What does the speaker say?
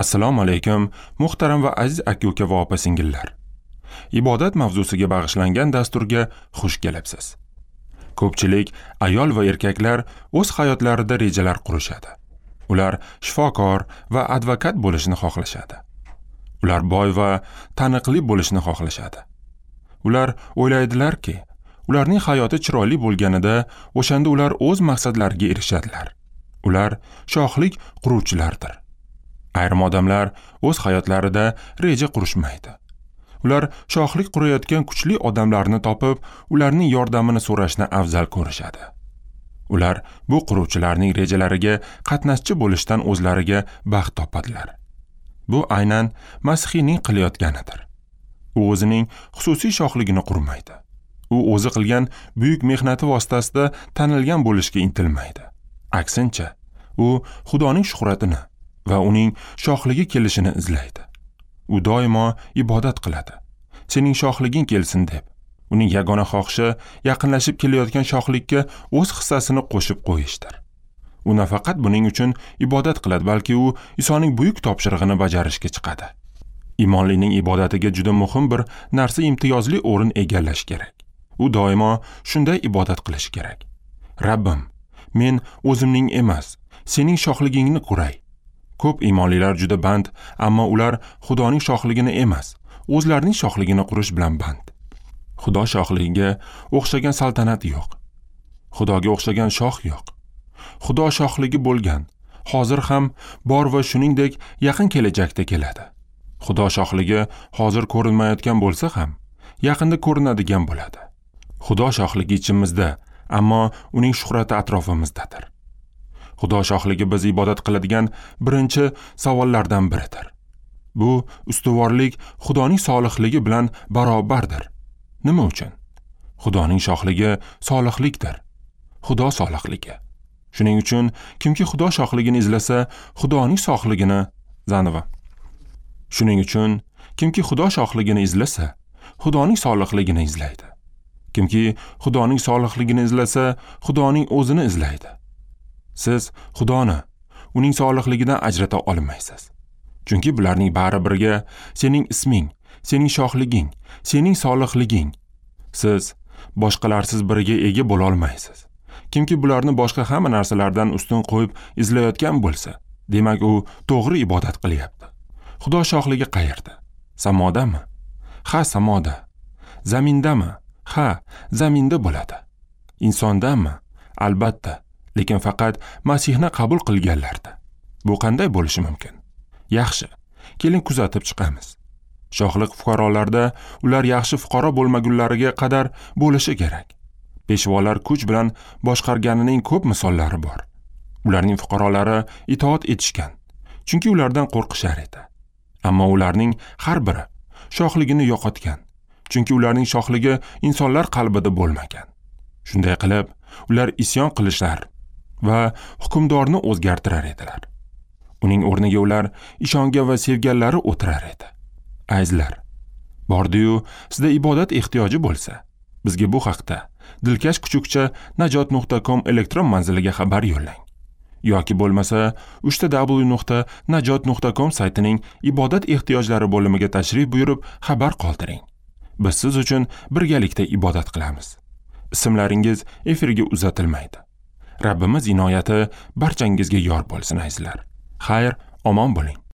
Assalomu alaykum, muhtaram va aziz aka-uka va opa-singillar. Ibodat mavzusiga bag'ishlangan dasturga xush kelibsiz. Ko'pchilik ayol va erkaklar o'z hayotlarida rejalar qurishadi. Ular shifokor va advokat bo'lishni xohlashadi. Ular boy va taniqli bo'lishni xohlashadi. Ular o'ylaydilarki, ularning hayoti chiroyli bo'lganida o'shanda ular o'z maqsadlariga erishadilar. Ular shohlik quruvchilardir. Ayrim odamlar o'z hayotlarida reja qurishmaydi. Ular shohlik qurayotgan kuchli odamlarni topib, ularning yordamini so'rashni afzal ko'rishadi. Ular bu quruvchilarning rejalariga qatnashchi bo'lishdan o'zlariga baxt topadilar. Bu aynan Masihiyning qilayotganidir. U o'zining xususiy shohligini qurmaydi. U o'zi qilgan buyuk mehnati vositasida tanilgan bo'lishga intilmaydi. Aksincha, u Xudoning shuhratini va uning shohligi kelishini izlaydi. U doimo ibodat qiladi. Sening shohliging kelsin deb. Uning yagona xohishi yaqinlashib kelayotgan shohlikka o'z hissasini qo'shib qo'yishdir. U nafaqat buning uchun ibodat qiladi, balki u Isoning buyuk topshirig'ini bajarishga chiqadi. Imonlining ibodatiga juda muhim bir narsa imtiyozli o'rin egallash kerak. U doimo shunday ibodat qilishi kerak. Rabbim, men o'zimning emas, sening shohligingni quray. Ko'p imonlilar juda band, ammo ular Xudoning shohligini emas, o'zlarining shohligini qurish bilan band. Xudo shohligiga o'xshagan saltanat yo'q. Xudoga o'xshagan shoh yo'q. Xudo shohligi bo'lgan, hozir ham bor va shuningdek yaqin kelajakda keladi. Xudo shohligi hozir ko'rinmayotgan bo'lsa ham, yaqinda ko'rinadigan bo'ladi. Xudo shohligi ichimizda, ammo uning shuhrati atrofimizdadir. Xudo shohligi biz ibodat qiladigan birinchi savollardan biridir. Bu ustuvorlik Xudoning solihligi bilan barobardir. Nima uchun? Xudoning shohligi solihlikdir. Xudo solihligi. Shuning uchun kimki Xudo shohligini izlasa, Xudoning shohligini zanova. Shuning uchun kimki Xudo shohligini izlasa, Xudoning solihligini izlaydi. Kimki Xudoning solihligini izlasa, Xudoning o'zini izlaydi. Siz Xudoni uning solihligidan ajrata olmaysiz. Chunki bularning bari birga sening isming, sening shohliging, sening solihliging. Siz boshqalarsiz biriga ega bo'la olmaysiz. Kimki bularni boshqa hamma narsalardan ustun qo'yib izlayotgan bo'lsa, demak u to'g'ri ibodat qilyapti. Xudo shohligi qayerda? Samodami? Ha, samoda. Zamindami? Ha, zaminda bo'ladi. Insondami? Albatta. Lekin faqat Masihni qabul qilganlarda. Bu qanday bo'lishi mumkin? Yaxshi, keling kuzatib chiqamiz. Shohlik fuqarolarda ular yaxshi fuqaro bo'lmagunlariga qadar bo'lishi kerak. Peshvolar kuch bilan boshqarganining ko'p misollari bor. Ularning fuqarolari itoat etishgan, chunki ulardan qo'rqishar edi. Ammo ularning har biri shohligini yo'qotgan, chunki ularning shohligi insonlar qalbida bo'lmagan. Shunday qilib, ular isyon qilishlar va hukmdorni o'zgartirar edilar. Uning o'rniga ular ishongan va sevganlari o'tirar edi. Azizlar, bordi-yu sizda ibodat ehtiyoji bo'lsa, bizga bu haqda dilkash@najot.com elektron manziliga xabar yo'llang. Yoki bo'lmasa www.najot.com saytining ibodat ehtiyojlari bo'limiga tashrif buyurib xabar qoldiring. Biz siz uchun birgalikda ibodat qilamiz. Ismlaringiz efirga uzatilmaydi. Rabbimiz inoyati barchangizga yor bo'lsin, azizlar. Xayr, omon bo'ling.